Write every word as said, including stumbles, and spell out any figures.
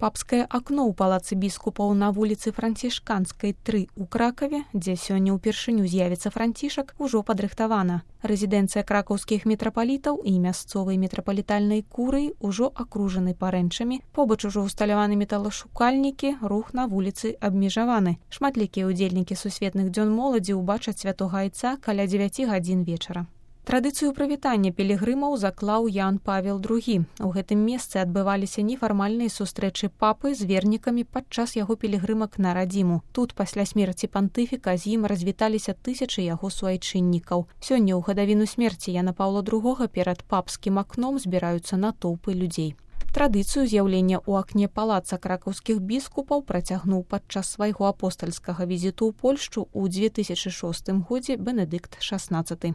Папскае акно ў палацы біскупаў на вуліцы Францішканскай тры ў Кракаве, дзе сёння ўпершыню з'явіцца францішак, ужо падрыхтавана. Рэзідэнцыя кракаўскіх мітрапалітаў і мясцовай мітрапалітальнай курыі ўжо акружаны парэнчамі, побач ужо ўсталяваны металашукальнікі, рух на вуліцы абмежаваны. Шматлікія ўдзельнікі сусветных дзён моладзі ўбачаць святога айца каля дзевяці гадзін вечара. Традыцыю прывітання пілігрымаў заклаў Ян Павел другі. У гэтым месцы адбываліся нефармальныя сустрэчы папы з вернікамі падчас яго пілігрымак на радзіму. Тут пасля смерці пантыфіка з ім развіталіся тысячы яго суайчыннікаў. Сёння ў гадавіну смерці Яна Паўла другога перад папскім акном збіраюцца натоўпы людзей. Традыцыю з'яўлення ў акне палаца кракаўскіх біскупаў працягнуў падчас свайго апостальскага візіту ў Польшчу ў дзве тысячы шостым годзе Бенедыкт шаснаццаты.